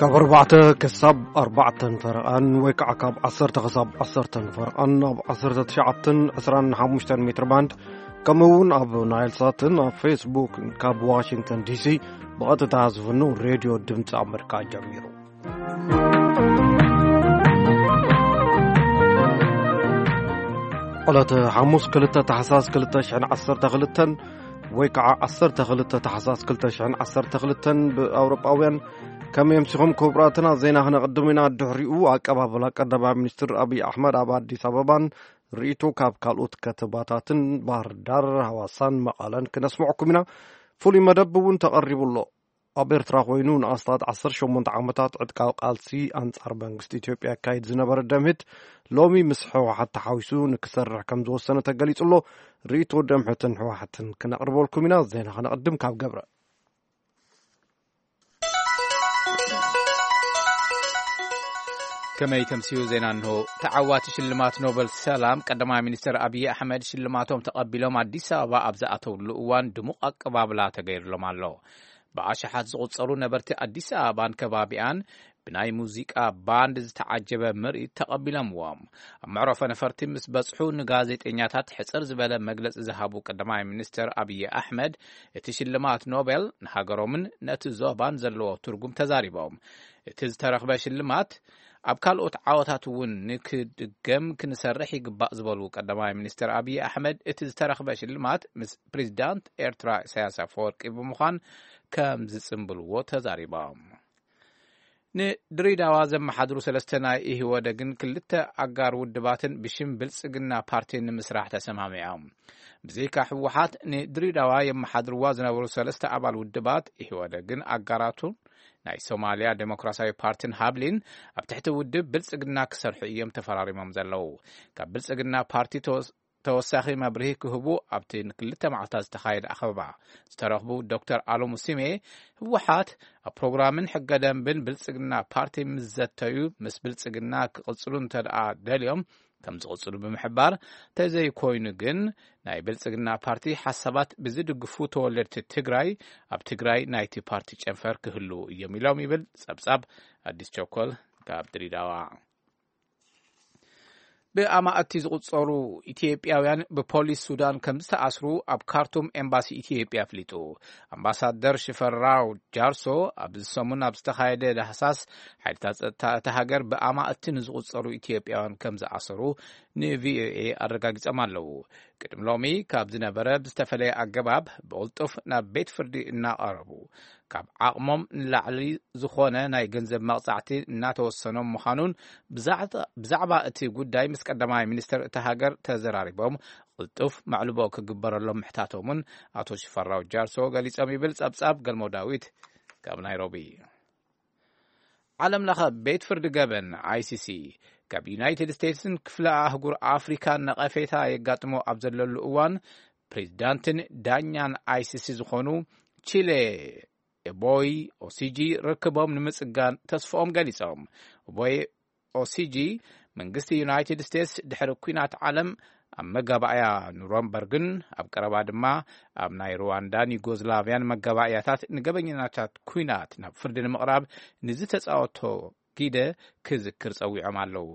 ካብ ኣርባዕተ ክሳብ ኣርባዕተን ፈረቓን ወይ ከዓ ካብ ዓሰርተ ክሳብ ዓሰርተን ፈረቓን ኣብ ዓሰርተ ትሽዓተን ዕስራን ሓሙሽተን ሜትር ባንድ፣ ከምኡ እውን ኣብ ናይል ሳትን ኣብ ፌስቡክ ካብ ዋሽንግተን ዲሲ ብቐጥታ ዝፍኑ ሬድዮ ድምፂ ኣመሪካ ጀሚሩ። ዕለተ ሓሙስ ክልተ ታሕሳስ ክልተ ሽሕን ዓሰርተ ክልተን ወይ ከዓ ዓሰርተ ክልተ ታሕሳስ ክልተ ሽሕን ዓሰርተ ክልተን ብኣውሮጳውያን፣ ከመይ ኣምሲኹም ክቡራትና? ዜና ክነቕድም ኢና። ድሕሪኡ ኣቀባብላ ቀዳማይ ሚኒስትር ኣብይ ኣሕመድ ኣብ ኣዲስ ኣበባን ርእይቶ ካብ ካልኦት ከተማታትን ባህር ዳር፣ ሃዋሳን መቐለን ክነስምዐኩም ኢና። ፍሉይ መደብ እውን ተቐሪቡ ኣሎ። ኣብ ኤርትራ ኮይኑ ንኣስታት ዓሰርተ ሸሞንተ ዓመታት ዕጥቃዊ ቃልሲ ኣንጻር መንግስቲ ኢትዮጵያ ኣካይድ ዝነበረ ደምህት፣ ሎሚ ምስ ህወሓት ተሓዊሱ ንክሰርሕ ከም ዝወሰነ ተገሊጹ ኣሎ። ርእይቶ ደምህትን ህወሓትን ክነቕርበልኩም ኢና። ዜና ክነቕድም ካብ ገብረ። ከመይ ተምስዩ ዜና እንሆ። ተዓዋቲ ሽልማት ኖበል ሰላም ቀዳማይ ሚኒስትር ኣብይ ኣሕመድ ሽልማቶም ተቐቢሎም ኣዲስ ኣበባ ኣብ ዝኣተውሉ እዋን ድሙቕ ኣቀባብላ ተገይርሎም ኣሎ። ብኣሽሓት ዝቑጸሩ ነበርቲ ኣዲስ ኣበባን ከባቢኣን ብናይ ሙዚቃ ባንድ ዝተዓጀበ ምርኢት ተቐቢሎምዎም። ኣብ መዕረፎ ነፈርቲ ምስ በጽሑ ንጋዜጠኛታት ሕጽር ዝበለ መግለጺ ዝሃቡ ቀዳማይ ሚኒስትር ኣብይ ኣሕመድ፣ እቲ ሽልማት ኖቤል ንሃገሮምን ነቲ ዞባን ዘለዎ ትርጉም ተዛሪቦም። እቲ ዝተረኽበ ሽልማት ኣብ ካልኦት ዓወታት እውን ንክድገም ክንሰርሕ ይግባእ ዝበሉ ቀዳማይ ሚኒስትር ኣብይ ኣሕመድ፣ እቲ ዝተረኽበ ሽልማት ምስ ፕሬዚዳንት ኤርትራ ኢሳያስ ኣፈወርቂ ብምዃን ከም ዝጽምብልዎ ተዛሪቦም። ንድሬዳዋ ዘመሓድሩ ሰለስተ ናይ ኢህወደግን ክልተ ኣጋር ውድባትን ብሽም ብልጽግና ፓርቲ ንምስራሕ ተሰማሚዖም። ብዘይካ ህወሓት ንድሬዳዋ የመሓድርዋ ዝነበሩ ሰለስተ ኣባል ውድባት ኢህወደግን ኣጋራቱን ናይ ሶማልያ ዴሞክራሲያዊ ፓርቲን ሃብሊን ኣብ ትሕቲ ውድብ ብልጽግና ክሰርሑ እዮም ተፈራሪሞም ዘለዉ። ካብ ብልጽግና ፓርቲ ተወስ-፣ ተወሳኺ መብርሂ ክህቡ ኣብቲ ንክልተ መዓልታት ዝተኻየደ ኣኸባ ዝተረኽቡ ዶክተር ኣሎሙ ሲሜ፣ ህወሓት ኣብ ፕሮግራምን ሕገ ደንብን ብልጽግና ፓርቲ ምስ ዘተዩ፣ ምስ ብልጽግና ክቕጽሉ እንተደኣ ደልዮም ከም ዝቕጽሉ ብምሕባር፣ ተዘይኮይኑ ግን ናይ ብልጽግና ፓርቲ ሓሳባት ብዝድግፉ ተወለድቲ ትግራይ ኣብ ትግራይ ናይቲ ፓርቲ ጨንፈር ክህልዉ እዮም ኢሎም ይብል ጸብጻብ ኣዲስ ቸኮል ካብ ድሬዳዋ። ብኣማእቲ ዝቑጸሩ ኢትዮጵያውያን ብፖሊስ ሱዳን ከም ዝተኣስሩ ኣብ ካርቱም ኤምባሲ ኢትዮጵያ ኣፍሊጡ። ኣምባሳደር ሽፈራው ጃርሶ ኣብዚ ሰሙን ኣብ ዝተኻየደ ዳህሳስ፣ ሓይልታት ጸጥታ እታ ሃገር ብኣማእቲ ንዝቑጸሩ ኢትዮጵያውያን ከም ዝኣሰሩ ንቪኦኤ ኣረጋጊጾም ኣለዉ። ቅድሚ ሎሚ ካብ ዝነበረ ብዝተፈለየ ኣገባብ ብቕልጡፍ ናብ ቤት ፍርዲ እናቐረቡ፣ ካብ ዓቕሞም ንላዕሊ ዝኾነ ናይ ገንዘብ መቕጻዕቲ እናተወሰኖም ምዃኑን ብዛዕባ፣ ብዛዕባ እቲ ጉዳይ ምስ ቀዳማይ ሚኒስትር እታ ሃገር ተዘራሪቦም ቅልጡፍ መዕልቦ ክግበረሎም ምሕታቶምን ኣቶ ሽፈራው ጃርሶ ገሊጾም ይብል ጸብጻብ ገልሞ ዳዊት ካብ ናይሮቢ። ዓለም ለኸ ቤት ፍርዲ ገበን፣ ኣይሲሲ፣ ካብ ዩናይትድ ስቴትስን ክፍለ ኣህጉር ኣፍሪካን ነቐፌታ የጋጥሞ ኣብ ዘለሉ እዋን፣ ፕሬዚዳንትን ዳኛን ኣይሲሲ ዝኾኑ ቺሌ ኤቦይ ኦሲጂ ርክቦም ንምጽጋን ተስፍኦም ገሊጾም። ኤቦይ ኦሲጂ፣ መንግስቲ ዩናይትድ ስቴትስ ድሕሪ ኲናት ዓለም ኣብ መጋባእያ ኑረምበርግን ኣብ ቀረባ ድማ ኣብ ናይ ሩዋንዳን ዩጎዝላቭያን መጋባእያታት ንገበኛታት ኲናት ናብ ፍርዲ ንምቕራብ ንዝተጻወቶ ጊደ ክዝክር ጸዊዖም ኣለዉ።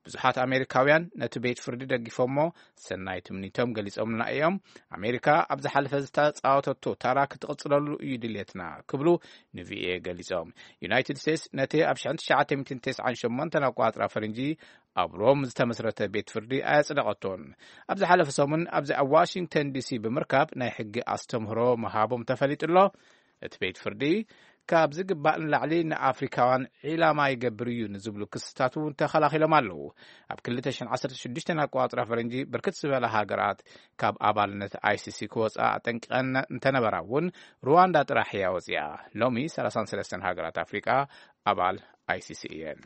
ብዙሓት ኣሜሪካውያን ነቲ ቤት ፍርዲ ደጊፎሞ ሰናይ ትምኒቶም ገሊጾምልና እዮም። ኣሜሪካ ኣብ ዝሓለፈ ዝተጻወተቶ ታራ ክትቕጽለሉ እዩ ድልየትና ክብሉ ንቪኦኤ ገሊጾም። ዩናይትድ ስቴትስ ነቲ ኣብ ሽሕን ትሽዓተ ሚእትን ተስዓን ሸሞንተን ኣቋጽራ ፈረንጂ ኣብ ሮም ዝተመስረተ ቤት ፍርዲ ኣየጽደቐቶን። ኣብ ዝሓለፈ ሰሙን ኣብዚ ኣብ ዋሽንግተን ዲሲ ብምርካብ ናይ ሕጊ ኣስተምህሮ ምሃቦም ተፈሊጡ ኣሎ። እቲ ቤት ፍርዲ ካብ ዝግባእ ንላዕሊ ንኣፍሪካውያን ዒላማ ይገብር እዩ ንዝብሉ ክስታት እውን ተኸላኺሎም ኣለዉ። ኣብ ክልተ ሽሕን ዓሰርተ ሽዱሽተን ኣቋጽራ ፈረንጂ ብርክት ዝበላ ሃገራት ካብ ኣባልነት ኣይሲሲ ክወጻ ኣጠንቂቐን እንተነበራ እውን ሩዋንዳ ጥራሕ እያ ወጺኣ። ሎሚ ሰላሳን ሰለስተን ሃገራት ኣፍሪቃ ኣባል ኣይሲሲ እየን።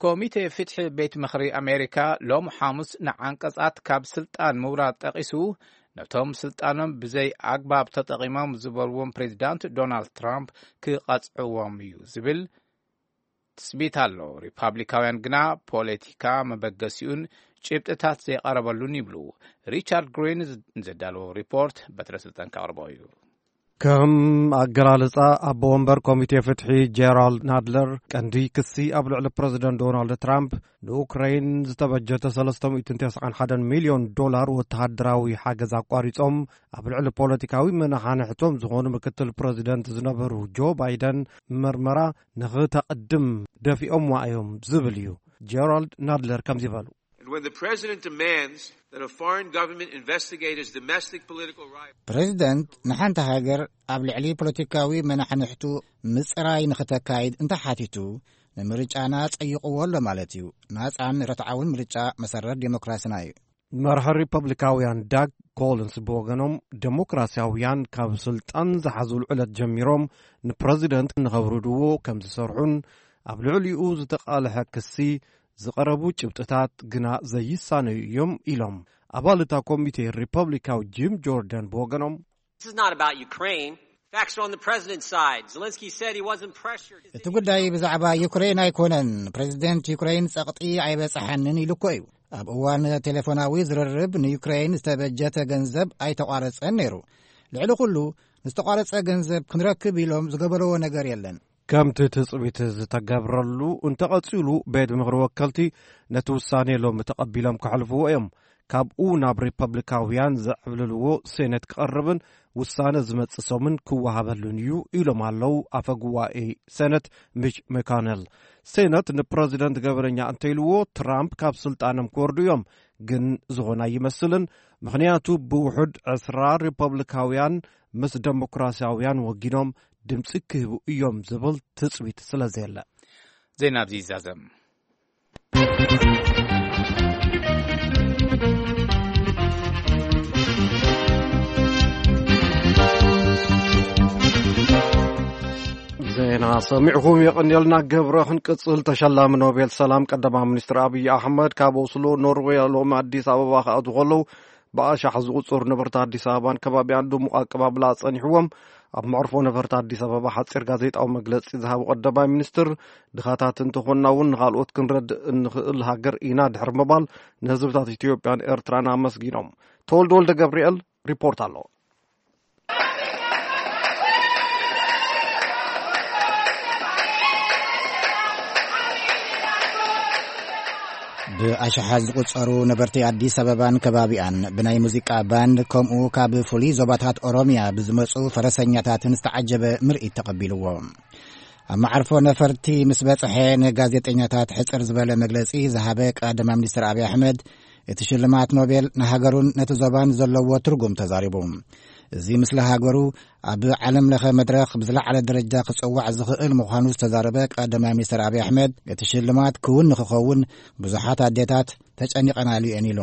ኮሚቴ ፍትሒ ቤት ምኽሪ ኣሜሪካ ሎም ሓሙስ ንዓንቀጻት ካብ ስልጣን ምውራድ ጠቒሱ፣ ነቶም ስልጣኖም ብዘይ ኣግባብ ተጠቒሞም ዝበልዎም ፕሬዚዳንት ዶናልድ ትራምፕ ክቐጽዕዎም እዩ ዝብል ትጽቢት ኣሎ። ሪፓብሊካውያን ግና ፖለቲካ መበገሲኡን ጭብጥታት ዘይቐረበሉን ይብሉ። ሪቻርድ ግሪን ዘዳለዎ ሪፖርት በትረ ስልጣን ከቕርቦ እዩ። ከም ኣገላልጻ ኣቦ ወንበር ኮሚቴ ፍትሒ ጀራልድ ናድለር፣ ቀንዲ ክሲ ኣብ ልዕሊ ፕረዚደንት ዶናልድ ትራምፕ ንኡክራይን ዝተበጀተ ሰለስተ ሚእትን ተስዓን ሓደን ሚልዮን ዶላር ወተሃደራዊ ሓገዝ ኣቋሪጾም ኣብ ልዕሊ ፖለቲካዊ መናሓንሕቶም ዝኾኑ ምክትል ፕረዚደንት ዝነበሩ ጆ ባይደን መርመራ ንኽተቕድም ደፊኦምዋ እዮም ዝብል እዩ። ጀራልድ ናድለር ከምዚ በሉ። And when the president demands that a foreign government investigate his domestic political rival, ፕሬዚደንት ንሓንቲ ሃገር ኣብ ልዕሊ ፖለቲካዊ መናሕንሕቱ ምጽራይ ንኽተካይድ እንተሓቲቱ፣ ንምርጫና ጸይቕዎ ኣሎ ማለት እዩ። ናጻን ርትዓውን ምርጫ መሰረት ዴሞክራስና እዩ። መርሒ ሪፐብሊካውያን ዳግ ኮሊንስ ብወገኖም፣ ዴሞክራሲያውያን ካብ ስልጣን ዝሓዙሉ ዕለት ጀሚሮም ንፕረዚደንት ንኸብርድዎ ከም ዝሰርሑን ኣብ ልዕሊኡ ዝተቓልሐ ክሲ ዝቐረቡ ጭብጥታት ግና ዘይሳነዩ እዮም ኢሎም። ኣባል እታ ኮሚቴ ሪፐብሊካዊ ጂም ጆርደን ብወገኖም፣ This is not about Ukraine. Facts are on the president's side. Zelensky said he wasn't pressured. His እቲ ጉዳይ ብዛዕባ ዩክሬን ኣይኮነን። ፕሬዚደንት ዩክሬን ጸቕጢ ኣይበጽሓንን ኢሉ እኮ እዩ። ኣብ እዋን ቴሌፎናዊ ዝርርብ ንዩክሬን ዝተበጀተ ገንዘብ ኣይተቋረጸን ነይሩ። ልዕሊ ኩሉ፣ ንዝተቋረጸ ገንዘብ ክንረክብ ኢሎም ዝገበረዎ ነገር የለን። ከምቲ ትጽቢት ዝተገብረሉ እንተቐጺሉ፣ ቤት ምኽሪ ወከልቲ ነቲ ውሳኔ ሎሚ ተቐቢሎም ከሕልፍዎ እዮም። ካብኡ ናብ ሪፐብሊካውያን ዘዕብልልዎ ሴኔት ክቐርብን ውሳነ ዝመጽእ ሰሙን ክወሃበሉን እዩ ኢሎም ኣለዉ ኣፈ ጉባኤ ሴኔት ሚች መኮነል። ሴኔት ንፕረዚደንት ገበነኛ እንተኢልዎ ትራምፕ ካብ ስልጣኖም ክወርዱ እዮም፣ ግን ዝኾነ ኣይመስልን። ምኽንያቱ ብውሑድ ዕስራ ሪፐብሊካውያን ምስ ደሞክራሲያውያን ወጊኖም ድምጺ ክህቡ እዮም ዝብል ትጽቢት ስለ ዘየለ። ዜና ኣብዚ ይዛዘም። ዜና ሰሚዕኹም የቐንየልና። ግብረ ክንቅጽል። ተሸላሚ ኖቤል ሰላም ቀዳማይ ሚኒስትር ኣብይ ኣሕመድ ካብ ኦስሎ ኖርዌይ ሎሚ ኣዲስ ኣበባ ክኣትዉ ከለዉ ብኣሻሕ ዝቑጸሩ ነበርቲ ኣዲስ ኣበባን ከባቢኣን ድሙቕ ኣቀባብላ ጸኒሕዎም። ኣብ መዕርፎ ነፈርቲ ኣዲስ ኣበባ ሓጺር ጋዜጣዊ መግለጺ ዝሃቡ ቀዳማይ ሚኒስትር፣ ድኻታት እንተኾንና እውን ንኻልኦት ክንረድእ እንኽእል ሃገር ኢና ድሕሪ ምባል ንህዝብታት ኢትዮጵያን ኤርትራን ኣመስጊኖም። ተወልደ ወልደ ገብርኤል ሪፖርት ኣሎ። ብኣሽሓት ዝቑጸሩ ነበርቲ ኣዲስ ኣበባን ከባቢኣን ብናይ ሙዚቃ ባንድ ከምኡ ካብ ፍሉይ ዞባታት ኦሮምያ ብዝመጹ ፈረሰኛታትን ዝተዓጀበ ምርኢት ተቐቢልዎ። ኣብ መዓርፎ ነፈርቲ ምስ በጽሐ ንጋዜጠኛታት ሕጽር ዝበለ መግለጺ ዝሃበ ቀዳማይ ሚኒስትር ኣብይ ኣሕመድ፣ እቲ ሽልማት ኖቤል ንሃገሩን ነቲ ዞባን ዘለዎ ትርጉም ተዛሪቡ። እዚ ምስሊ ሃገሩ ኣብ ዓለም ለኸ መድረኽ ብዝለዓለ ደረጃ ክጽዋዕ ዝኽእል ምዃኑ ዝተዛረበ ቀዳማይ ሚኒስትር ኣብይ ኣሕመድ፣ እቲ ሽልማት ክውን ንኽኸውን ብዙሓት ኣዴታት ተጨኒቐናሉ እየን ኢሉ።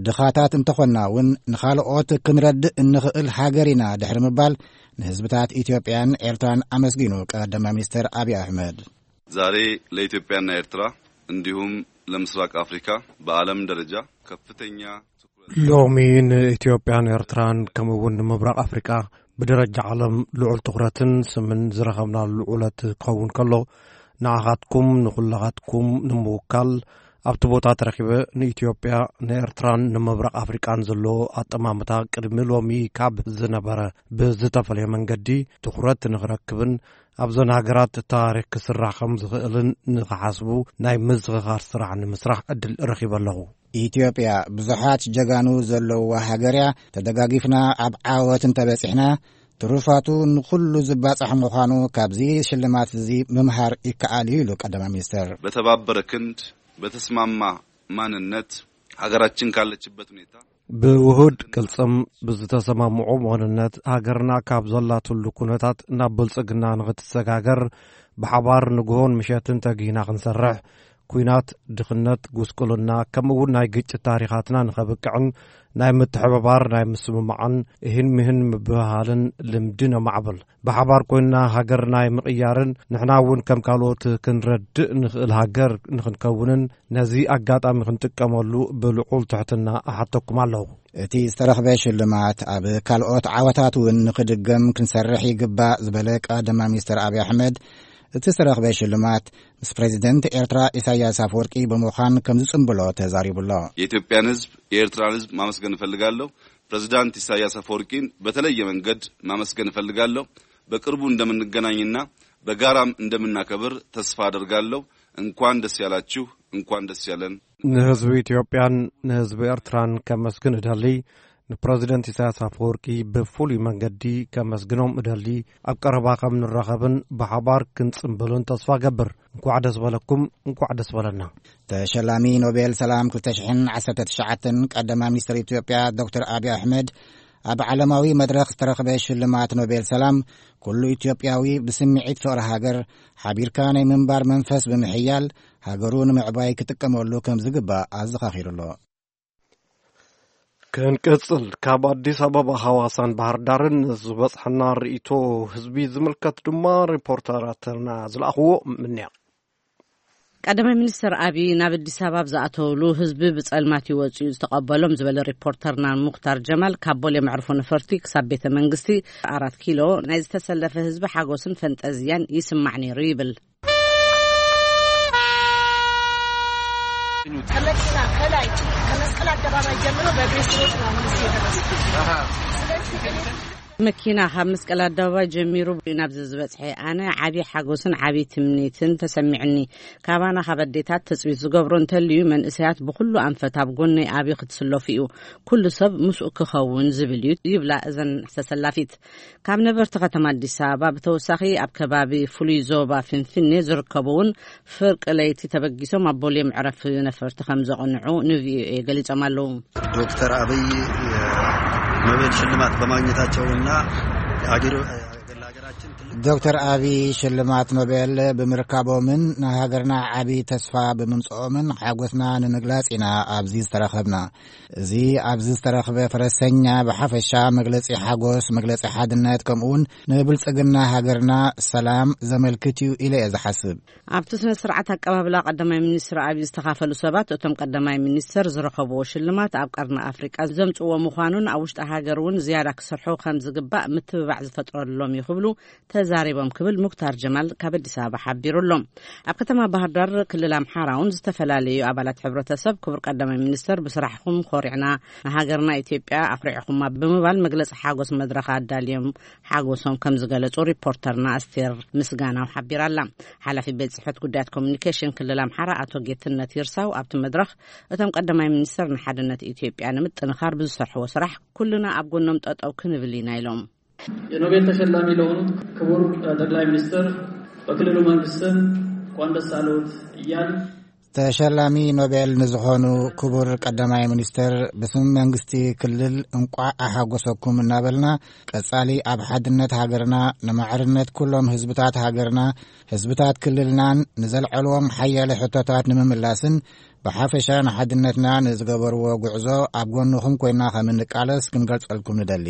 ድኻታት እንተኾንና እውን ንኻልኦት ክንረድእ እንኽእል ሃገር ኢና ድሕሪ ምባል ንህዝብታት ኢትዮጵያን ኤርትራን ኣመስጊኑ ቀዳማይ ሚኒስትር ኣብይ ኣሕመድ። ዛሬ ለኢትዮጵያና ኤርትራ እንዲሁም ለምስራቅ አፍሪካ በዓለም ደረጃ ከፍተኛ ትኩረት ሎሚ ንኢትዮጵያን ኤርትራን ከምኡ እውን ንምብራቕ ኣፍሪቃ ብደረጃ ዓለም ልዑል ትኹረትን ስምን ዝረኸብናሉ ዕለት ክኸውን ከሎ፣ ንዓኻትኩም ንኹላኻትኩም ንምውካል ኣብቲ ቦታ ተረኺበ ንኢትዮጵያ፣ ንኤርትራን ንምብራቕ ኣፍሪቃን ዘሎ ኣጠማምታ ቅድሚ ሎሚ ካብ ዝነበረ ብዝተፈለየ መንገዲ ትኹረት ንኽረክብን ኣብዘን ሃገራት ታሪኽ ክስራሕ ከም ዝኽእልን ንኽሓስቡ ናይ ምዝኽኻር ስራሕ ንምስራሕ ዕድል ረኺበ ኣለኹ። ኢትዮጵያ ብዙሓት ጀጋኑ ዘለውዋ ሃገር እያ። ተደጋጊፍና ኣብ ዓወት እንተበጺሕና፣ ትሩፋቱ ንኹሉ ዝባጻሕ ምዃኑ ካብዚ ሽልማት እዚ ምምሃር ይከኣል እዩ ኢሉ ቀዳማይ ሚኒስትር። በተባበረ ክንድ፣ በተስማማ ማንነት ሀገራችን ካለችበት ሁኔታ ብውሁድ ቅልጽም ብዝተሰማምዖ መኾንነት ሃገርና ካብ ዘላትሉ ኩነታት ናብ ብልጽግና ንኽትሰጋገር ብሓባር ንግሆን ምሸትን ተጊህና ክንሰርሕ፣ ኲናት፣ ድኽነት፣ ጉስቁልና፣ ከምኡ እውን ናይ ግጭት ታሪኻትና ንኸብቅዕን ናይ ምትሕብባር፣ ናይ ምስምማዕን እህን ምህን ምብህሃልን ልምዲ ነማዕብል። ብሓባር ኮይንና ሃገር ናይ ምቕያርን ንሕና እውን ከም ካልኦት ክንረድእ ንኽእል ሃገር ንኽንከውንን ነዚ ኣጋጣሚ ክንጥቀመሉ ብልዑል ትሕትና እሓተኩም ኣለኹ። እቲ ዝተረኽበ ሽልማት ኣብ ካልኦት ዓወታት እውን ንኽድገም ክንሰርሕ ይግባእ ዝበለ ቀዳማይ ሚኒስትር ኣብይ ኣሕመድ፣ እቲ ዝተረኽበ ሽልማት ምስ ፕሬዚደንት ኤርትራ ኢሳያስ ኣፈወርቂ ብምዃን ከም ዝጽንብሎ ተዛሪቡ ኣሎ። የኢትዮጵያን ህዝብ፣ የኤርትራን ህዝብ ማመስገን እፈልጋለሁ። ፕሬዚዳንት ኢሳያስ አፈወርቂን በተለየ መንገድ ማመስገን እፈልጋለሁ። በቅርቡ እንደምንገናኝና በጋራም እንደምናከብር ተስፋ አደርጋለሁ። እንኳን ደስ ያላችሁ፣ እንኳን ደስ ያለን። ንህዝቢ ኢትዮጵያን ንህዝቢ ኤርትራን ከመስግን እደሊ። ንፕረዚደንት ኢሳያስ ኣፈወርቂ ብፍሉይ መንገዲ ከመስግኖም እደሊ። ኣብ ቀረባ ከም ንራኸብን ብሓባር ክንጽንብልን ተስፋ ገብር። እንኳዕ ደስ በለኩም፣ እንኳዕ ደስ በለና። ተሸላሚ ኖቤል ሰላም ክልተ ሽሕን ዓሰርተ ትሽዓተን ቀዳማይ ሚኒስትር ኢትዮጵያ ዶክተር ኣብይ ኣሕመድ፣ ኣብ ዓለማዊ መድረኽ ዝተረኽበ ሽልማት ኖቤል ሰላም፣ ኩሉ ኢትዮጵያዊ ብስምዒት ፍቕሪ ሃገር ሓቢርካ ናይ ምንባር መንፈስ ብምሕያል፣ ሃገሩ ንምዕባይ ክጥቀመሉ ከም ዝግባእ ኣዘኻኺሩ ኣሎ። ክንቅጽል፣ ካብ ኣዲስ ኣበባ፣ ሃዋሳን ባህር ዳርን ዝበጽሐና ርእይቶ ህዝቢ ዝምልከት ድማ ሪፖርተራትና ዝለኣኽዎ ምንያ። ቀዳማይ ሚኒስትር ኣብይ ናብ ኣዲስ ኣበባ ኣብ ዝኣተውሉ ህዝቢ ብጸልማት ይወጽኡ ዝተቐበሎም ዝበለ ሪፖርተርና ሙክታር ጀማል፣ ካብ ቦሌ መዕርፎ ነፈርቲ ክሳብ ቤተ መንግስቲ ኣራት ኪሎ ናይ ዝተሰለፈ ህዝቢ ሓጎስን ፈንጠዝያን ይስማዕ ነይሩ ይብል። ከመኪና ከላይ ከመስቀል አደባባይ ጀምሮ በእግሬ ስሮጥ ነው አሁን እዚህ የደረስኩት። ስለዚህ እኔ መኪና ካብ መስቀል ኣደባባይ ጀሚሩ ናብዚ ዝበጽሐ ኣነ ዓቢ ሓጎስን ዓቢ ትምኒትን ተሰሚዕኒ። ካባና ካብ ኣዴታት ትጽቢት ዝገብሮ እንተልዩ መንእሰያት ብኹሉ ኣንፈት ኣብ ጎነይ ኣብይ ክትስለፉ እዩ። ኩሉ ሰብ ምስኡ ክኸውን ዝብል እዩ ይብላ እዘን ተሰላፊት። ካብ ነበርቲ ከተማ ኣዲስ ኣበባ ብተወሳኺ ኣብ ከባቢ ፍሉይ ዞባ ፍንፍኔ ዝርከቡ እውን ፍርቂ ለይቲ ተበጊሶም ኣብ ቦሌ መዕረፊ ነፈርቲ ከም ዘቕንዑ ንቪኦኤ ገሊጾም ኣለዉ። ዶክተር አብይ የኖቤል ሽልማት በማግኘታቸውና አገሩ ለሀገራችን ትልቅ ዶክተር አብይ ሽልማት ኖቤል ብምርካቦምን ንሃገርና ዓቢ ተስፋ ብምምጽኦምን ሓጎስና ንምግላጽ ኢና ኣብዚ ዝተረኸብና። እዚ ኣብዚ ዝተረኽበ ፈረሰኛ ብሓፈሻ መግለጺ ሓጎስ፣ መግለጺ ሓድነት፣ ከምኡውን ንብልጽግና ሃገርና ሰላም ዘመልክት እዩ ኢለ እየ ዝሓስብ። ኣብቲ ስነ ስርዓት ኣቀባብላ ቀዳማይ ሚኒስትር ኣብይ ዝተኻፈሉ ሰባት፣ እቶም ቀዳማይ ሚኒስትር ዝረኸብዎ ሽልማት ኣብ ቀርኒ ኣፍሪቃ ዘምጽዎ ምዃኑን ኣብ ውሽጢ ሃገር እውን ዝያዳ ክሰርሑ ከም ዝግባእ ምትብባዕ ዝፈጥረሎም እዩ ክብሉ ተዛሪቦም ክብል ሙክታር ጀማል ካብ ኣዲስ ኣበባ ሓቢሩ ኣሎ። ኣብ ከተማ ባህር ዳር ክልል ኣምሓራ እውን ዝተፈላለዩ ኣባላት ሕብረተሰብ ክቡር ቀዳማይ ሚኒስትር ብስራሕኹም ኮሪዕና፣ ንሃገርና ኢትዮጵያ ኣኹሪዕኹማ ብምባል መግለጺ ሓጎስ መድረኽ ኣዳልዮም ሓጎሶም ከም ዝገለጹ ሪፖርተርና ኣስቴር ምስጋናው ሓቢራ ኣላ። ሓላፊ ቤት ጽሕፈት ጉዳያት ኮሚኒኬሽን ክልል ኣምሓራ ኣቶ ጌትነት ይርሳው ኣብቲ መድረኽ እቶም ቀዳማይ ሚኒስትር ንሓድነት ኢትዮጵያ ንምጥንኻር ብዝሰርሕዎ ስራሕ ኩልና ኣብ ጎኖም ጠጠው ክንብል ኢና ኢሎም። የኖቤል ተሸላሚ ለሆኑት ክቡር ጠቅላይ ሚኒስትር በክልሉ መንግስት ስም እንኳን ደስ አለዎት እያል ተሸላሚ ኖቤል ንዝኾኑ ክቡር ቀዳማይ ሚኒስትር ብስም መንግስቲ ክልል እንቋዕ ኣሓጎሰኩም እናበልና፣ ቀጻሊ ኣብ ሓድነት ሃገርና፣ ንማዕርነት ኩሎም ህዝብታት ሃገርና፣ ህዝብታት ክልልናን ንዘልዐልዎም ሓያለ ሕቶታት ንምምላስን ብሓፈሻ ንሓድነትና ንዝገበርዎ ጉዕዞ ኣብ ጎንኹም ኮይና ከም እንቃለስ ክንገልጸልኩም ንደሊ።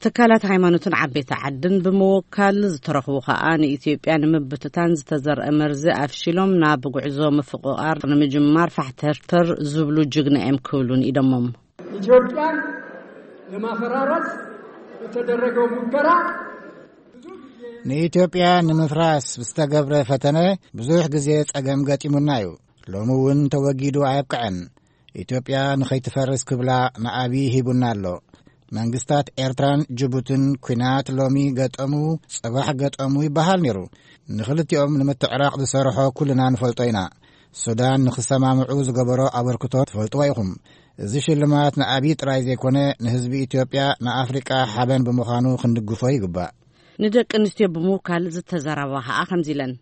ትካላት ሃይማኖትን ዓበይቲ ዓድን ብምውካል ዝተረኽቡ ከኣ ንኢትዮጵያ ንምብትታን ዝተዘርአ መርዚ ኣፍሺሎም ናብ ጉዕዞ ምፍቕቓር ንምጅማር ፋሕተርተር ዝብሉ ጅግና እዮም ክብሉ ንኢዶሞም። ኢትዮጵያን ለማፈራረስ የተደረገው ሙከራ ንኢትዮጵያ ንምፍራስ ዝተገብረ ፈተነ ብዙሕ ግዜ ጸገም ገጢሙና እዩ። ሎሚ እውን ተወጊዱ ኣየብቅዐን። ኢትዮጵያ ንኸይትፈርስ ክብላ ንኣብይ ሂቡና ኣሎ። መንግስታት ኤርትራን ጅቡትን ኲናት ሎሚ ገጠሙ፣ ጽባሕ ገጠሙ ይበሃል ነይሩ። ንኽልቲኦም ንምትዕራቕ ዝሰርሖ ኩልና ንፈልጦ ኢና። ሱዳን ንኽሰማምዑ ዝገበሮ ኣበርክቶ ትፈልጥዎ ኢኹም። እዚ ሽልማት ንኣብይ ጥራይ ዘይኮነ፣ ንህዝቢ ኢትዮጵያ፣ ንኣፍሪቃ ሓበን ብምዃኑ ክንድግፎ ይግባእ። ንደቂ ኣንስትዮ ብምውካል ዝተዘረባ ከኣ ከምዚ ኢለን።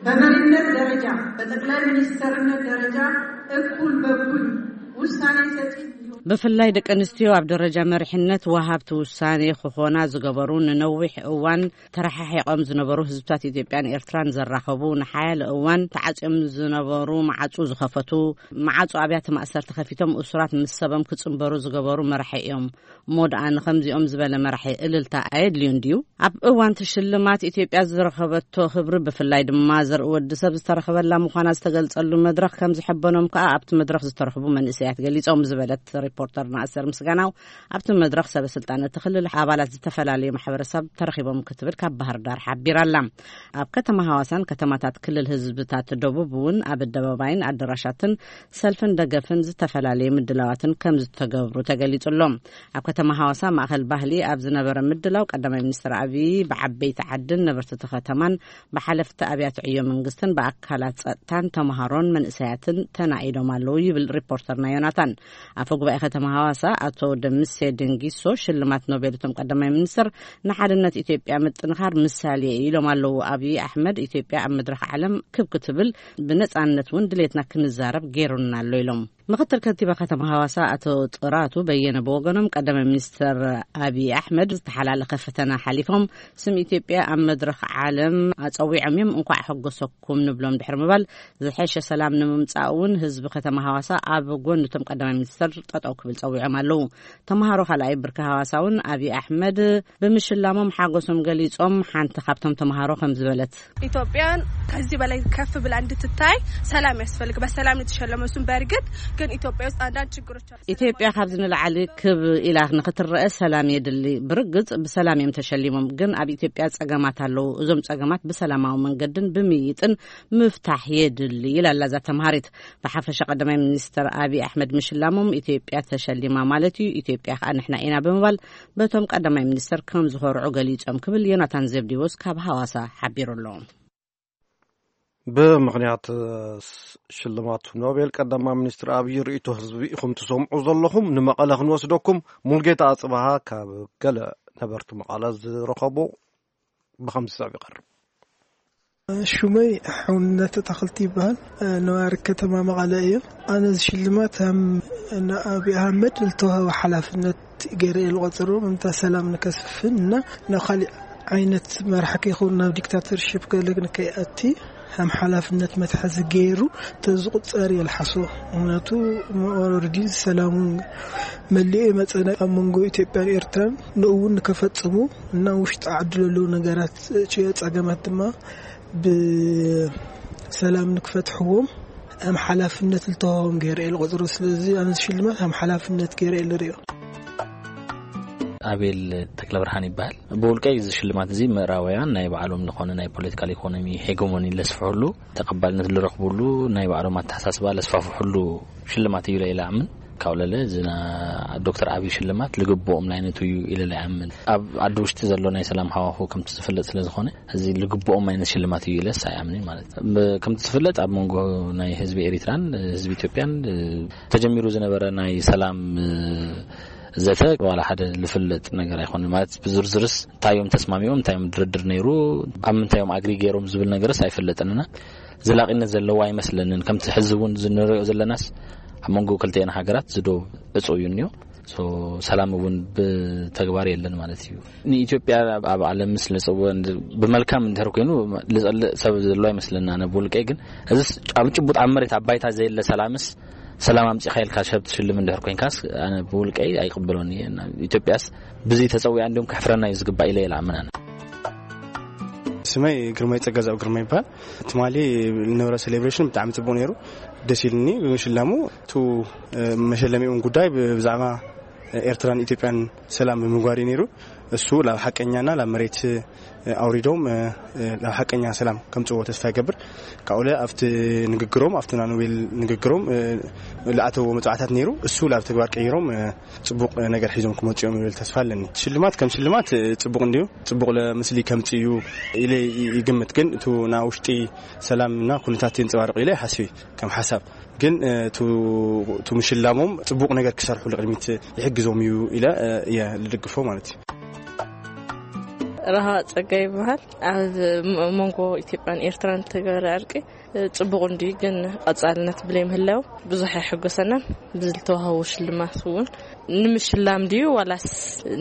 በመሪነት ደረጃ፣ በጠቅላይ ሚኒስተርነት ደረጃ እኩል በኩል ውሳኔ ሰጪ እንዲሆን ብፍላይ ደቂ ኣንስትዮ ኣብ ደረጃ መሪሕነት ወሃብቲ ውሳኔ ክኾና ዝገበሩ፣ ንነዊሕ እዋን ተረሓሒቖም ዝነበሩ ህዝብታት ኢትዮጵያን ኤርትራን ዘራኸቡ፣ ንሓያለ እዋን ተዓጽዮም ዝነበሩ መዓጹ ዝኸፈቱ፣ መዓጹ ኣብያተ ማእሰርቲ ከፊቶም እሱራት ምስ ሰቦም ክጽንበሩ ዝገበሩ መራሒ እዮም። እሞ ደኣ ንኸምዚኦም ዝበለ መራሒ እልልታ ኣየድልዮን ድዩ? ኣብ እዋን እቲ ሽልማት ኢትዮጵያ ዝረኸበቶ ክብሪ፣ ብፍላይ ድማ ዘርኢ ወዲ ሰብ ዝተረኸበላ ምዃና ዝተገልጸሉ መድረኽ ከም ዝሐበኖም ከኣ ኣብቲ መድረኽ ዝተረኽቡ መንእሰያት ገሊጾም ዝበለት ሪፖርተር ናእሰር ምስጋናው ኣብቲ መድረኽ ሰበ ስልጣን እቲ ክልል ኣባላት ዝተፈላለዩ ማሕበረሰብ ተረኺቦም ክትብል ካብ ባህር ዳር ሓቢራ ኣላ። ኣብ ከተማ ሃዋሳን ከተማታት ክልል ህዝብታት ደቡብ እውን ኣብ ኣደባባይን ኣደራሻትን ሰልፍን ደገፍን ዝተፈላለዩ ምድላዋትን ከም ዝተገብሩ ተገሊጹ ኣሎ። ኣብ ከተማ ሃዋሳ ማእኸል ባህሊ ኣብ ዝነበረ ምድላው ቀዳማይ ሚኒስትር ኣብዪ ብዓበይቲ ዓድን ነበርቲ እቲ ከተማን ብሓለፍቲ ኣብያተ ዕዮ መንግስትን ብኣካላት ጸጥታን ተምሃሮን መንእሰያትን ተናኢዶም ኣለዉ ይብል ሪፖርተርና ዮናታን። ኣፈ ጉባኤ ከተማ ሃዋሳ ኣቶ ደምሴ ድንጊሶ ሽልማት ኖቤል እቶም ቀዳማይ ሚኒስትር ንሓድነት ኢትዮጵያ ምጥንኻር ምሳሌ ኢሎም ኣለዉ። ኣብዪ ኣሕመድ ኢትዮጵያ ኣብ መድረኽ ዓለም ክብ ክትብል ብነጻነት እውን ድሌትና ክንዛረብ ገይሩና ኣሎ ኢሎም። ምክትል ከንቲባ ከተማ ሃዋሳ ኣቶ ጥራቱ በየነ ብወገኖም ቀዳማይ ሚኒስትር ኣብዪ ኣሕመድ ዝተሓላለኸ ፈተና ሓሊፎም ስም ኢትዮጵያ ኣብ መድረኽ ዓለም ኣጸዊዖም እዮም። እንኳዕ ሓጎሰኩም ንብሎም ድሕሪ ምባል ዝሐሸ ሰላም ንምምጻእ እውን ህዝቢ ከተማ ሃዋሳ ኣብ ጎኒ እቶም ቀዳማይ ሚኒስትር ጠጠው ክብል ጸዊዖም ኣለዉ። ተምሃሮ ካልኣይ ብርኪ ሃዋሳ እውን ኣብዪ ኣሕመድ ብምሽላሞም ሓጎሶም ገሊጾም። ሓንቲ ካብቶም ተምሃሮ ከም ዝበለት ኢትዮጵያን ከዚህ በላይ ከፍ ብላ እንድትታይ ሰላም ያስፈልግ። በሰላም የተሸለመ እሱም በእርግጥ ግን ኢትዮጵያ ውስጥ አንዳንድ ችግሮች አሉ። ኢትዮጵያ ካብዚ ንላዕሊ ክብ ኢላ ንክትረአ ሰላም የድሊ። ብርግጽ ብሰላም እዮም ተሸሊሞም፣ ግን ኣብ ኢትዮጵያ ጸገማት ኣለዉ። እዞም ጸገማት ብሰላማዊ መንገድን ብምይጥን ምፍታሕ የድሊ ኢላ ኣላ እዛ ተምሃሪት። ብሓፈሻ ቀዳማይ ሚኒስትር ኣብዪ ኣሕመድ ምሽላሞም ኢትዮጵያ ተሸሊማ ማለት እዩ፣ ኢትዮጵያ ከዓ ንሕና ኢና ብምባል በቶም ቀዳማይ ሚኒስትር ከም ዝኾርዑ ገሊጾም ክብል ዮናታን ዘብዲዎስ ካብ ሃዋሳ ሓቢሩ ኣሎ። ብምኽንያት ሽልማት ኖቤል ቀዳማይ ሚኒስትር ኣብዪ ርእይቶ ህዝቢ ኢኹም ትሰምዑ ዘለኹም። ንመቐለ ክንወስደኩም ሙልጌታ ኣጽብሃ ካብ ገለ ነበርቲ መቐለ ዝረኸቦ ብኸምዚ ሰብ ይቐርብ። ሽመይ ሓውነት ኣታኽልቲ ይበሃል። ነዋሪ ከተማ መቐለ እየ። ኣነ እዚ ሽልማት ከም ንኣቢ ኣህመድ ዝተዋህበ ሓላፍነት ገይረ እየ ዝቆጽሮ። ምንታ ሰላም ንከስፍን እና ናብ ካሊእ ዓይነት መራሕ ከይኸውን ናብ ዲክታተርሽፕ ገለ ንከይኣቲ ከም ሓላፍነት መትሓዚ ገይሩ ተዝቁጸር እየ ዝሓስቦ። ምክንያቱ ኦረዲ ሰላሙ መሊኡ ይመጸና ኣብ መንጎ ኢትዮጵያን ኤርትራን ንእውን ንከፈጽሙ እና ውሽጢ ዓዲ ዘለዉ ነገራት ጸገማት ድማ ብሰላም ንክፈትሕዎም ከም ሓላፍነት ዝተዋህቦም ገይረ እየ ዝቆጽሮ። ስለዚ ኣነ ሽልማት ከም ሓላፍነት ገይረ እየ ዝርእዮ። ኣቤል ተክለብርሃን ይበሃል። ብውልቀይ እዚ ሽልማት እዚ ምዕራባውያን ናይ ባዕሎም ዝኾነ ናይ ፖለቲካል ኢኮኖሚ ሄጎሞኒ ለስፍሕሉ ተቐባልነት ዝረኽብሉ ናይ ባዕሎም ኣተሓሳስባ ለስፋፍሕሉ ሽልማት እዩ ኢለ ይኣምን። ካብኡ ለለ እዚ ና ዶክተር ኣብይ ሽልማት ልግብኦም ናይነቱ እዩ ኢለ ይኣምን። ኣብ ዓዲ ውሽጢ ዘሎ ናይ ሰላም ሃዋሁ ከምቲ ዝፍለጥ ስለ ዝኾነ እዚ ልግብኦም ዓይነት ሽልማት እዩ ኢለስ ኣይኣምንን ማለት እዩ። ብ-፣ ከምቲ ዝፍለጥ ኣብ መንጎ ናይ ህዝቢ ኤሪትራን ህዝቢ ኢትዮጵያን ተጀሚሩ ዝነበረ ናይ ሰላም ዘተ ዋላ ሓደ ዝፍለጥ ነገር ኣይኮነን። ማለት ብዝርዝርስ እንታይ እዮም ተስማሚኦም፣ እንታይ እዮም ድርድር ነይሩ፣ ኣብ ምንታይ እዮም ኣግሪ ገይሮም ዝብል ነገርስ ኣይፍለጥንና። ዘላቂነት ዘለዎ ኣይመስለንን። ከምቲ ሕዚ እውን ዝንሪኦ ዘለናስ ኣብ መንጎ ክልቲኤን ሃገራት ዝዶ ዕፁ እዩ እኒኦ። ሶ ሰላም እውን ብተግባር የለን ማለት እዩ። ንኢትዮጵያ ኣብ፣ ኣብ ዓለም ምስ ልፅወ እንድ-፣ ብመልካም እንድሕር ኮይኑ ልፀልእ ሰብ ዘሎ ኣይመስለና። ኣነ ብውልቀይ ግን እዚስ ኣብ ጭቡጥ ኣብ መሬት ኣብ ባይታ ዘየለ ሰላምስ ሰላም ኣምፂኻ ኢልካ ሰብ ትሽልም እንድሕር ኮይንካስ ኣነ ብውልቀይ ኣይቅበሎን እየ። እና ኢትዮጵያስ ብዚ ተፀዊያ እንዲሁም ከሕፍረና እዩ ዝግባእ ኢለ ይልኣምን ኣነ። ስመይ ግርማይ ጸጋዛብ ግርማ ይባል። ትማሊ ዝነበረ ሴሌብሬሽን ብጣዕሚ ጽቡቕ ነይሩ፣ ደስ ኢልኒ ብምሽላሙ። እቱ መሸለሚኡን ጉዳይ ብ-፣ ብዛዕባ ኤርትራን ኢትዮጵያን ሰላም ብምግባር እዩ ነይሩ። እሱ ላብ ሓቀኛና ላብ መሬት ኣውሪዶም ላብ ሓቀኛ ሰላም ከምጽዎ ተስፋ ይገብር። ካብኡለ ኣብቲ ንግግሮም ኣብቲ ናኖቤል ንግግሮም ዝኣተዎ መጽዋዕታት ነይሩ፣ እሱ ላብ ተግባር ቀይሮም ጽቡቕ ነገር ሒዞም ክመጽኡ እዮም ዝብል ተስፋ ኣለኒ። ሽልማት ከም ሽልማት ጽቡቕ እንድዩ፣ ጽቡቕ ለ-፣ ምስሊ ከምጽእ እዩ ኢለ ይ-፣ ይግምት። ግን እቱ ና ውሽጢ ሰላምና ኩነታት የንጸባርቕ ኢለ ይሓስብ ከም ሓሳብ። ግን እቱ፣ እቱ ምሽላሞም ጽቡቕ ነገር ክሰርሑ ልቕድሚት ይሕግዞም እዩ ኢለ እየ ልድግፎ ማለት እዩ። ረሃ ጸጋ ይበሃል። ኣብ ም-፣ መንጎ ኢትዮጵያን ኤርትራን ተገበረ ዕርቂ ጽቡቕ እንድዩ፣ ግን ቀጻልነት ብለይ ምህላው ብዙሕ ኣይሕጎሰናን። ብዝተዋህቦ ሽልማት እውን ንምሽላም ድዩ ዋላስ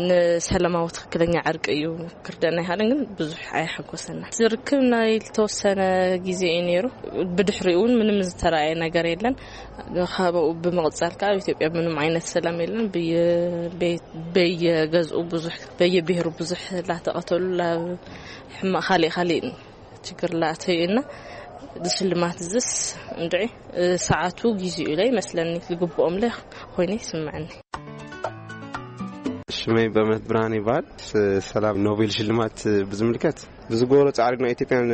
ንሰላማዊ ትኽክለኛ ዕርቂ እዩ ክርደና ይሃልን፣ ግን ብዙሕ ኣይሓጎሰና። ዝርክብ ናይ ዝተወሰነ ግዜ እዩ ነይሩ። ብድሕሪኡ እውን ምንም ዝተረኣየ ነገር የለን። ካብኡ ብምቕጻል ከዓ ኣብ ኢትዮጵያ ምንም ዓይነት ሰላም የለን። በየ-፣ በየ-፣ በየገዝኡ ብዙሕ፣ በየብሔሩ ብዙሕ ላተቐተሉ፣ ላ-፣ ሕማቕ ካሊእ ካሊእ ችግር ላእተዩ እና እዚ ሽልማት እዝስ እንድዒ፣ እ፣ ሰዓቱ ጊዜኡ ኢለ ይመስለኒ፣ ዝግብኦም ለ ኮይነ ይስምዐኒ። ሽመይ በእምነት ብርሃን ይበሃል። ስ-፣ ሰላም ኖቤል ሽልማት ብዝምልከት ብዝገበሮ ጻዕሪ ናይ ኢትዮጵያን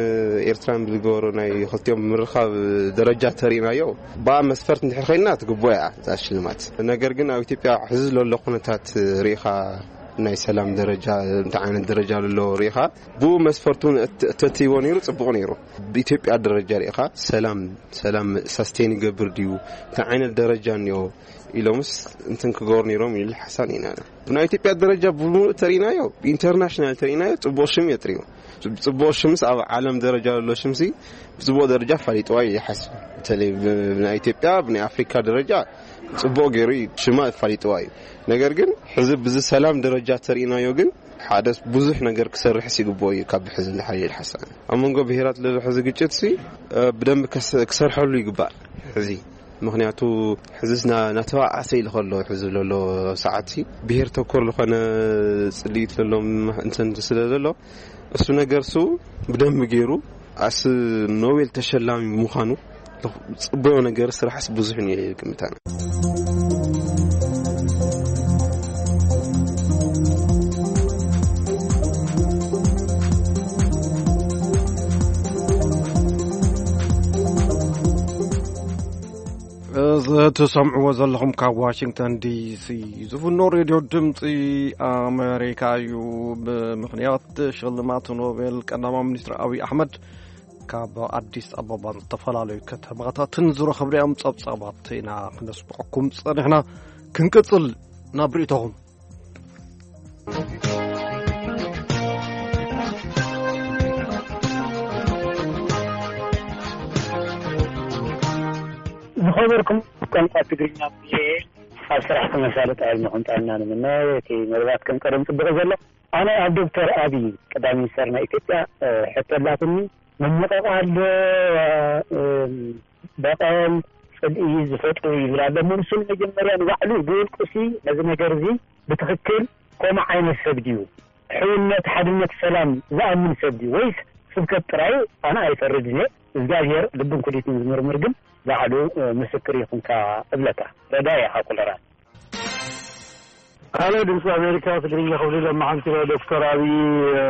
ኤርትራን ብዝገበሮ ናይ ክልቲኦም ምርኻብ ደረጃ ተሪእናዮ፣ ብኣ መስፈርት እንድሕር ኮይና ትግብኦ እያ እዛ ሽልማት። ነገር ግን ኣብ ኢትዮጵያ ሕዚ ዘሎ ኩነታት ርኢኻ፣ ናይ ሰላም ደረጃ፣ እንታይ ዓይነት ደረጃ ዘሎ ርኢኻ፣ ብኡ መስፈርቱ እውን እት-፣ እተትይዎ ነይሩ፣ ጽቡቕ ነይሩ። ብኢትዮጵያ ደረጃ ርኢኻ፣ ሰላም፣ ሰላም ሳስቴን ይገብር ድዩ፣ እንታይ ዓይነት ደረጃ እኒኦ ኢሎምስ እንትን ክገብሩ ነይሮም ኢሉ ሓሳብ ኢና። ብናይ ኢትዮጵያ ደረጃ ብምሉእ ተሪእናዮ፣ ኢንተርናሽናል ተሪእናዮ፣ ጽቡቕ ሽም የጥርዩ። ጽቡቕ ሽምስ ኣብ ዓለም ደረጃ ዘሎ ሽምሲ ብጽቡቕ ደረጃ ፋሊጥዋ እዩ ይሓስብ። በተለይ ብ-፣ ብናይ ኢትዮጵያ፣ ብናይ ኣፍሪካ ደረጃ ጽቡቕ ገይሩ እዩ ሽማ ፋሊጥዋ እዩ። ነገር ግን ሕዚ ብዚ ሰላም ደረጃ ተሪእናዮ ግን ሓደ ብዙሕ ነገር ክሰርሕስ ይግብኦ እዩ ካብ ሕዚ ንሓይል ሓሳብ። ኣብ መንጎ ብሄራት ለሎ ሕዚ ግጭት ሲ፣ እ፣ ብደንብ ከስ-፣ ክሰርሐሉ ይግባእ። ሕዚ ምኽንያቱ ሕዚ ና-፣ ናተባኣሰ ኢሉ ከሎ ሕዚ ለሎ ሰዓት ሲ ብሄር ተኮር ዝኾነ ጽልኢት ለሎም እንትን ስለ ዘሎ እሱ ነገር ሱ ብደንብ ገይሩ ኣስ ኖቤል ተሸላሚ ምዃኑ ጽቡቕ ነገር ስራሕስ ብዙሕ እዩ ግምታና። እዚ ትሰምዕዎ ዘለኹም ካብ ዋሽንግተን ዲሲ ዝፍኖ ሬድዮ ድምፂ ኣሜሪካ እዩ። ብምኽንያት ሽልማት ኖቤል ቀዳማዊ ሚኒስትር ኣብይ ኣሕመድ ካብ ኣዲስ ኣበባን ዝተፈላለዩ ከተማታትን ዝረኸብናዮም ጸብጻባት ኢና ክነስምዐኩም ጸኒሕና። ክንቅጽል ናብ ርእይቶኹም። ዝኸበርኩም ቋንቋ ትግርኛ ብየ ኣብ ስራሕ ተመሳለጥ ዕድመ ክንጣልና ንምነ። እቲ መደባት ከም ቀደም ጽቡቕ ዘሎ። ኣነ ኣብ ዶክተር ኣብይ ቀዳማይ ሚኒስተር ናይ ኢትዮጵያ፣ እ፣ ሕቶ ኣላትኒ። መመቐቓ ኣሎ፣ እ፣ በቐል፣ ጽልኢ ዝፈጥሩ ይብል ኣሎ። እሞ ንሱ መጀመርያ ንባዕሉ ብውልቁሲ ነዚ ነገር እዚ ብትኽክል ከምኡ ዓይነት ሰብ ድዩ? ሕውነት፣ ሓድነት፣ ሰላም ዝኣምን ሰብ ድዩ? ወይስ ስብከት ጥራይ? ኣነ ኣይፈርድን እየ። እግዚኣብሔር ልብን ኩሊትን ዝምርምር ግን ባዕሉ፣ እ፣ ምስክር ይኹንካ እብለካ። ረዳኢ ኢኻ ኮለራ። ካልእ ድምፂ ኣሜሪካ ትግርኛ ክብል ሎማዓንቲ ናይ ዶክተር ኣብይ፣ እ፣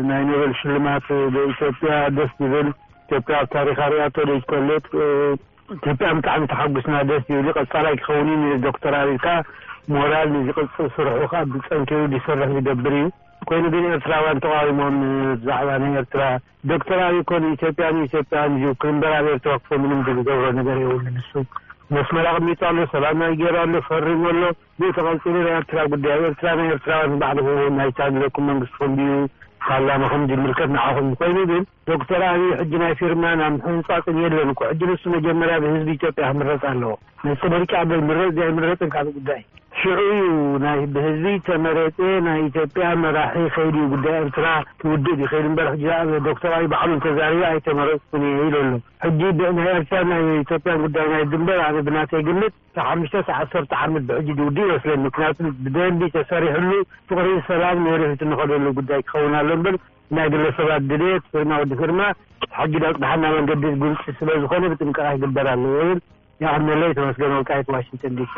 ናይ ኖቤል ሽልማት፣ እ፣ ኢትዮጵያ ደስ ዝብል፣ ኢትዮጵያ ኣብ ታሪኻ ሪኣቶ ዘይትፈልጥ፣ እ፣ ኢትዮጵያ ብጣዕሚ ተሓጉስና፣ ደስ ዝብል እዩ። ቀፃላይ ክኸውን እዩ ንብል ዶክተር ኣብይ። ከዓ ሞራል ንዝቕፅል ስርሑ ከዓ ብፀንኪሩ ዝሰርሕ ዝገብር እዩ። ኮይኑ ግን ኤርትራውያን ተቃዊሞም ብዛዕባ ናይ ኤርትራ። ዶክተር ኣብይ እኮ ንኢትዮጵያ፣ ንኢትዮጵያን እዩ ክብል እምበር ኣብ ኤርትራ ክፈ ምንም ዝገብሮ ነገር የብሉን። ንሱ መስመር ኣቕሚጡ ኣሎ፣ ሰላም ናይ ገይሩ ኣሎ፣ ፈሪሙ ኣሎ። ብኡ ተቐፂሉ ናይ ኤርትራ ጉዳይ፣ ኣብ ኤርትራ ናይ ኤርትራውያን ባዕልኹም ናይታ ዘለኩም መንግስትኹም ድዩ ፓርላማኹም ዝምልከት ንዓኹም። ኮይኑ ግን ዶክተር ኣብይ ሕጂ ናይ ፊርማን ናይ ምሕንጻጽን የለን እኮ። ሕጂ ንሱ መጀመርያ ብህዝቢ ኢትዮጵያ ክምረጽ ኣለዎ። ንሱ ምርጫ በል፣ ምረጽ ድዩ ኣይምረጽን ካልእ ጉዳይ። ሽዑ እዩ ናይ ብህዝቢ ተመረጸ ናይ ኢትዮጵያ መራሒ ከይዱ እዩ ጉዳይ ኤርትራ ክውድእ ይኽእል እምበር፣ ሕጂ ኣብ ዶክተር ኣብይ ባዕሉ እንተዛሪቡ ኣይተመረጽኩን እየ ኢሉ ኣሎ። ሕጂ ብ-፣ ናይ ኤርትራ ናይ ኢትዮጵያን ጉዳይ ናይ ድንበር ኣነ ብናተይ ግምት ካብ ሓሙሽተ እስካብ ዓሰርተ ዓመት ብሕጂ ዝውድእ ይመስለኒ። ምክንያቱ ብደንቢ ተሰሪሕሉ ፍቕሪ ሰላም ንወደፊት እንኸደሉ ጉዳይ ክኸውን ኣሎ እምበር ናይ ግለሰባት ድሌት፣ ፊርማ ወዲ ፊርማ፣ ሕጊ ዳጽድሓና መንገዲ ግልጺ ስለ ዝኾነ ብጥንቃቐ ክግበር ኣለዎ ይብል። ይቐንየለይ። ተመስገን ወልቃይት፣ ዋሽንግተን ዲሲ።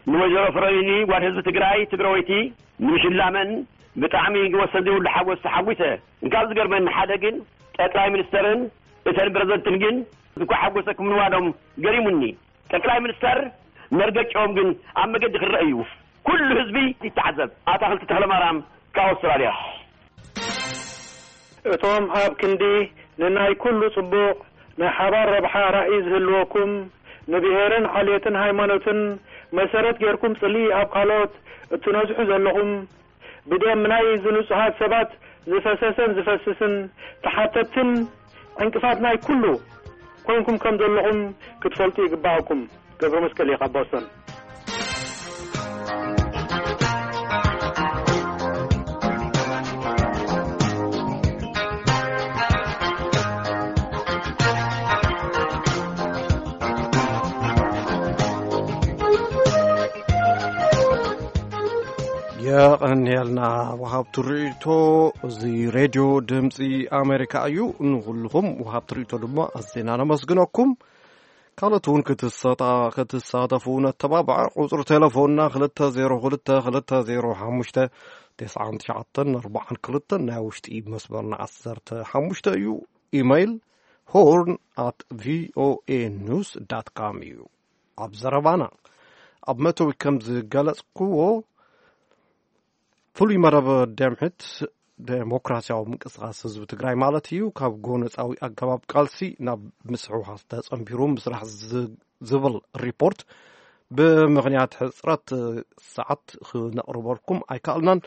ንወይዘሮ ፍረይኒ ጓል ህዝቢ ትግራይ ትግራወይቲ ንምሽላመን ብጣዕሚ ወሰን ዘይብሉ ሓጎስ ተሓጒሰ። እንካብ ዝገርመኒ ሓደ ግን ጠቅላይ ሚኒስተርን እተን ፕረዚደንትን ግን እንኳ ሓጎሰኩም ምንባሎም ገሪሙኒ። ጠቅላይ ሚኒስተር መርገጫኦም ግን ኣብ መገዲ ክረአ እዩ። ኩሉ ህዝቢ ይተዓዘብ። ኣታኽልቲ ተኽለማርያም ካብ ኣውስትራልያ። እቶም ኣብ ክንዲ ንናይ ኩሉ ጽቡቕ ናይ ሓባር ረብሓ ራእይ ዝህልወኩም፣ ንብሄርን ዓሌትን ሃይማኖትን መሰረት ጌርኩም ጽልኢ ኣብ ካልኦት እትነዝሑ ዘለኹም፣ ብደም ናይ ዝንጹሃት ሰባት ዝፈሰሰን ዝፈስስን ተሓተትትን ዕንቅፋት ናይ ኩሉ ኮንኩም ከም ዘለኹም ክትፈልጡ ይግባኣኩም። ገብረ መስቀል እየ ካብ ቦስተን። የቐንየልና ወሃብቲ ርእይቶ። እዚ ሬድዮ ድምፂ ኣሜሪካ እዩ። ንኹልኹም ወሃብቲ ርእይቶ ድማ ኣዝና ነመስግነኩም። ካልኦት እውን ክትሰጣ-፣ ክትሳተፉ ነተባብዕ። ቁፅሪ ቴሌፎንና ክልተ ዜሮ ክልተ ክልተ ዜሮ ሓሙሽተ ተስዓን ትሽዓተን ኣርባዓን ክልተን፣ ናይ ውሽጢ መስመርና ዓሰርተ ሓሙሽተ እዩ። ኢሜይል ሆርን ኣት ቪኦኤ ኒውስ ዳት ካም እዩ። ኣብ ዘረባና ኣብ መእተዊ ከም ዝገለጽክዎ፣ ፍሉይ መደብ ደምሕት ዴሞክራሲያዊ ምንቅስቃስ ህዝቢ ትግራይ ማለት እዩ፣ ካብ ጎነጻዊ ኣገባብ ቃልሲ ናብ ምስሕዋስ ተጸንቢሩ ምስራሕ ዝ-፣ ዝብል ሪፖርት ብምኽንያት ሕጽረት ሰዓት ክነቕርበልኩም ኣይከኣልናን።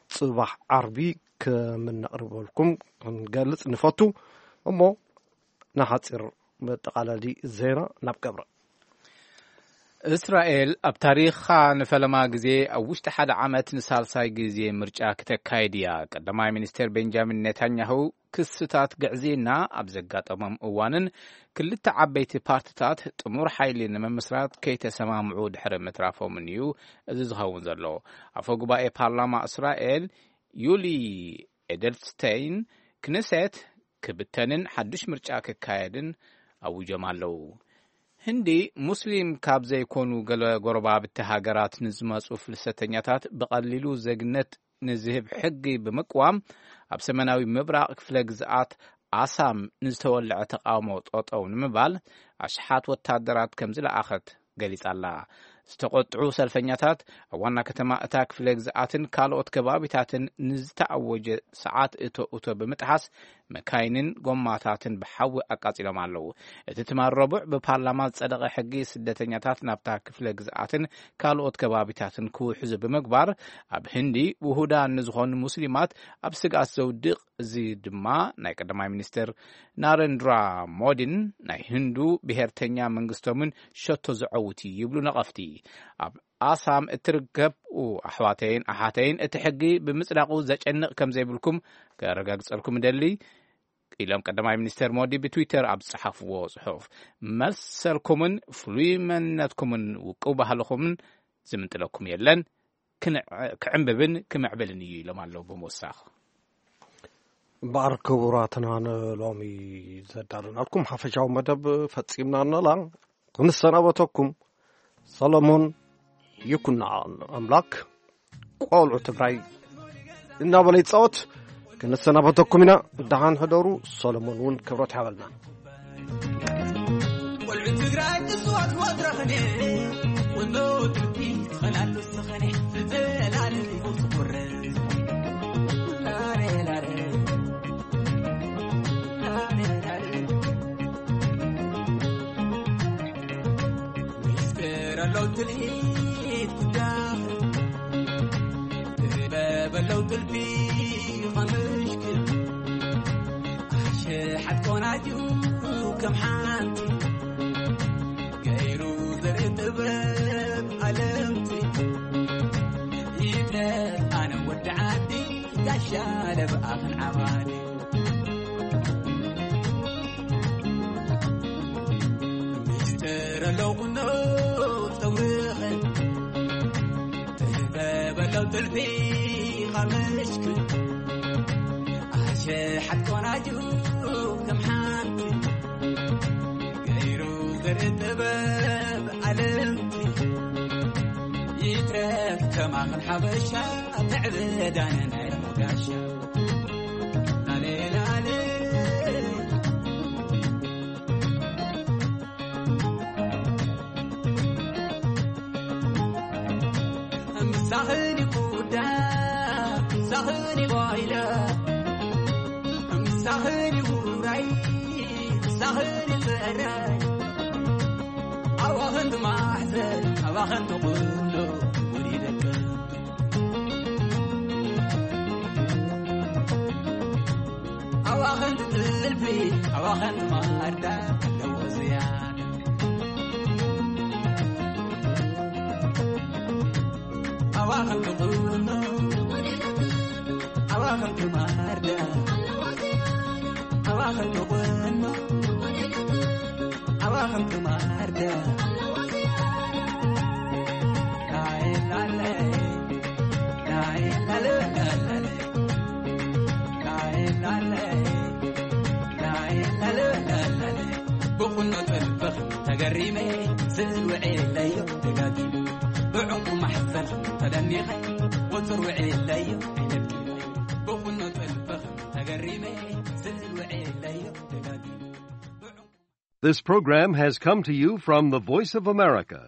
ጽባሕ ዓርቢ ከም እነቕርበልኩም ክንገልጽ ንፈቱ። እሞ ንሓጺር መጠቓለሊ ዜና ናብ ገብረ። እስራኤል ኣብ ታሪኻ ንፈለማ ግዜ ኣብ ውሽጢ ሓደ ዓመት ንሳልሳይ ግዜ ምርጫ ክተካይድ እያ። ቀዳማይ ሚኒስትር ቤንጃሚን ኔታንያሁ ክስታት ግዕዝይና ኣብ ዘጋጠሞም እዋንን ክልተ ዓበይቲ ፓርትታት ጥሙር ሓይሊ ንምምስራት ከይተሰማምዑ ድሕሪ ምትራፎምን እዩ እዚ ዝኸውን ዘሎ። ኣፈ ጉባኤ ፓርላማ እስራኤል ዩሊ ኤደልስቴይን ክነሴት ክብተንን ሓድሽ ምርጫ ክካየድን ኣዊጆም ኣለዉ። ህንዲ፣ ሙስሊም ካብ ዘይኮኑ ገለ ጎረባብቲ ሃገራት ንዝመጹ ፍልሰተኛታት ብቐሊሉ ዜግነት ንዝህብ ሕጊ ብምቅዋም፣ ኣብ ሰሜናዊ ምብራቕ ክፍለ ግዝኣት ኣሳም ንዝተወልዐ ተቃውሞ ጠጠው ንምባል ኣሽሓት ወታደራት ከም ዝለኣኸት ገሊጻ ኣላ። ዝተቖጥዑ ሰልፈኛታት ኣብ ዋና ከተማ እታ ክፍለ ግዝኣትን ካልኦት ከባቢታትን ንዝተኣወጀ ሰዓት እቶ እቶ ብምጥሓስ መካይንን ጎማታትን ብሓዊ ኣቃጺሎም ኣለዉ። እቲ ትማል ረቡዕ ብፓርላማ ዝጸደቐ ሕጊ ስደተኛታት ናብታ ክፍለ ግዝኣትን ካልኦት ከባቢታትን ክውሕዙ ብምግባር፣ ኣብ ህንዲ ውሁዳን ንዝኾኑ ሙስሊማት ኣብ ስግኣት ዘውድቕ፣ እዚ ድማ ናይ ቀዳማይ ሚኒስትር ናረንድራ ሞዲን ናይ ህንዱ ብሄርተኛ መንግስቶምን ሸቶ ዘዐውት እዩ ይብሉ ነቐፍቲ። ኣብ ኣሳም እትርከቡ ኣሕዋተይን ኣሓተይን፣ እቲ ሕጊ ብምጽዳቑ ዘጨንቕ ከም ዘይብልኩም ከረጋግጸልኩም እደሊ፣ ኢሎም ቀዳማይ ሚኒስትር ሞዲ ብትዊተር ኣብ ዝጸሓፍዎ ጽሑፍ። መሰልኩምን ፍሉይ መንነትኩምን ውቁብ ባህልኹምን ዝምንጥለኩም የለን፣ ክንዕ-፣ ክዕምብብን ክምዕብልን እዩ ኢሎም ኣለዉ ብምውሳኽ። እምበኣር ክቡራትና፣ ንሎሚ ዘዳለናልኩም ሓፈሻዊ መደብ ፈጺምና ኣነላ። ክንሰናበተኩም ሰሎሞን ይኩና ኣምላክ ቆልዑ ትግራይ እናበለ ይጻወት። ክንሰናበተኩም ኢና። ደሓን ሕደሩ። ሰሎሞን እውን ክብረት ይሃበልና። ቆልዑ ትግራይ እፅዋት ወትረኽኔ ወሎ ትውቲ ትኸላሉ ዝኸነ ዘላለም ይፈቱ ቁረ። ላሬ ላሬ፣ ላሬ ላሬ። ሚስጥር ኣለው ትልሂት ጉዳይ፣ ጥበብ ኣለው ጥልፊ ኸምሽክል። ኣሸሓት ቆናጁ ከም ሓንቲ፣ ገይሩ ዘርኢ ጥበብ ኣለምቲ። ይፍለጥ ኣነ ወዲ ዓዲ፣ ጋሻ ለብኣኽን ዓባዲ። ሚስጥር ኣለው ቁኖ ጸጉርኽን፣ ጥበብ ኣለው ጥልፊ ኸምሽክን። ኣሸሓት ቆናጁ ከም ሓንቲ፣ ገይሩ ዘርኢ ጥበብ ኣለምቲ። ይትረፍ ከማኽን ሓበሻ፣ ምዕብዳን ናይ ሞጋሻ። ላሌ ላሌ። ምሳኽን ይኩዳ፣ ምሳኽን ይባይለ፣ ምሳኽን ይውራይ፣ ምሳኽን ይፈራይ። ኣባኽን ትማሕዘን፣ ኣባኽን ትቑሎ፣ ውሊደከ። ኣባኽን ትጥልፊ፣ ኣባኽን ትማርዳ፣ ኣለዎ ዝያዳ። ኣባኽን ትቑኖ፣ ኣባኽን ትማርዳ፣ ኣባኽን ትቑኖ፣ ኣባኽን ትማርዳ። ላይላለ፣ ብቑኖ ጥልፍኽ ተገሪመ ስእል ውዒለዮ ደጋጊመ ብዕንቁ ማሕዘል ተደኒኸ ወፅር ውዒለዮ ኣይደቂመ ብቑኖ ጥልፍኽ ተገሪመ ስእል ውዒለዮ ደጋጊመ This program has come to you from the Voice of America,